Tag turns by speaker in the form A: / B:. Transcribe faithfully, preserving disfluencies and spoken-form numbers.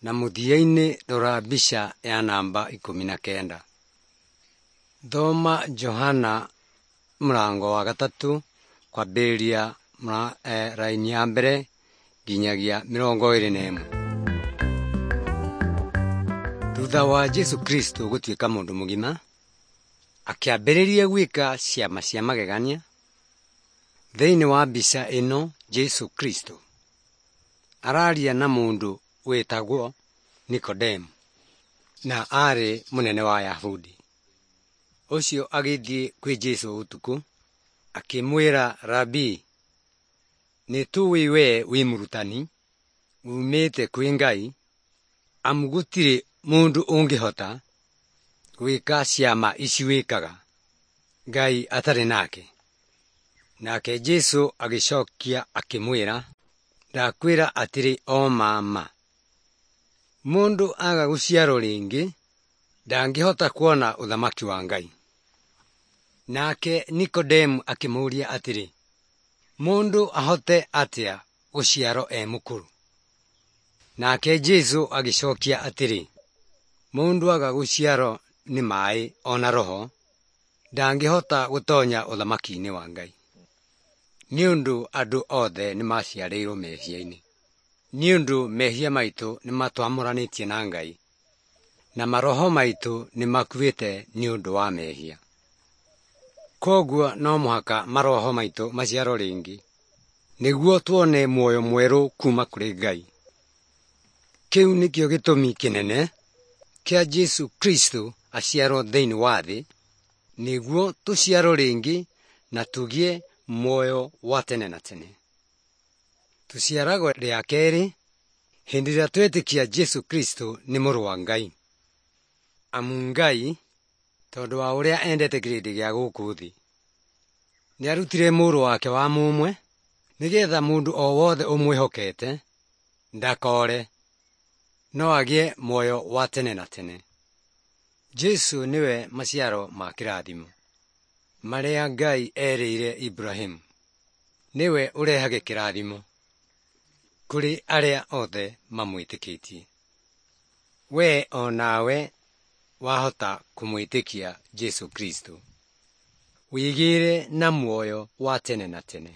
A: Na mũthia-inĩ rora mbica ya namba ikũmi na kenda. Thoma Johana mũrango wa gatatũ kwambĩrĩria raini ya mbere nginyagia mĩrongo ĩrĩ na ĩmwe. Thutha wa Jesũ Kristo gũtuĩka mũndũ mũgima, akĩambĩrĩria gwĩka ciama cia magegania. Thĩinĩ wa mbica ĩno Jesũ Kristo araria na mũndũ wĩtagwo Nikodemu na aarĩ mũnene wa Ayahudi. Ũcio agĩthiĩ kwĩ Jesũ ũtukũ akĩmwĩra, Rabii, nĩtũĩ wee wĩ mũrutani uumĩte kwĩ Ngai, amu gũtirĩ mũndũ ũngĩhota gwĩka ciama ici wĩkaga Ngai atarĩ nake. Nake Jesũ agĩcokia akĩmwĩra, ndakwĩra atĩrĩ o ma ma, mũndũ aga gũciarwo rĩngĩ ndangĩhota kuona ũthamaki wa Ngai. Nake Nikodemu akĩmũũria atĩrĩ, mũndũ ahote atĩa gũciarwo e mũkũrũ? Nake Jesũ agĩcokia atĩrĩ, mũndũ aga gũciarwo nĩ maĩ o na Roho, ndangĩhota gũtonya ũthamaki-inĩ wa Ngai. Nĩ ũndũ andũ othe nĩmaciarĩirwo mehia-inĩ. Nĩ ũndũ mehia maitũ nĩmatwamũranĩtie na Ngai, na maroho maitũ nĩmakuĩte nĩ ũndũ wa mehia. Kwoguo no mũhaka maroho maitũ maciarwo rĩngĩ nĩguo tuone muoyo mwerũ kuma kũrĩ Ngai. Kĩu nĩkĩo gĩtũmi kĩnene kĩa Jesũ Kristo aciarwo thĩinĩ wa thĩ, nĩguo tũciarwo rĩngĩ na tũgĩe muoyo wa tene na tene. Tũciaragwo rĩa kerĩ hĩndĩ ĩrĩa twetĩkia Jesũ Kristo nĩ mũrũ wa Ngai. Amu Ngai tondũ wa ũrĩa endete kĩrĩndĩ gĩa gũkũ thĩ, nĩarutire mũrũ wake wa mũmwe nĩgetha mũndũ o wothe ũmwĩhokete ndakore no agĩe muoyo wa tene na tene. Jesũ nĩwe maciaro ma kĩrathimo marĩa Ngai erĩire Iburahĩmu. Nĩwe ũrehage kĩrathimo kũrĩ arĩa othe mamwĩtĩkĩtie. Wee o nawe wahota kũmwĩtĩkia Jesũ Kristo, wĩgĩre na muoyo wa tene na tene.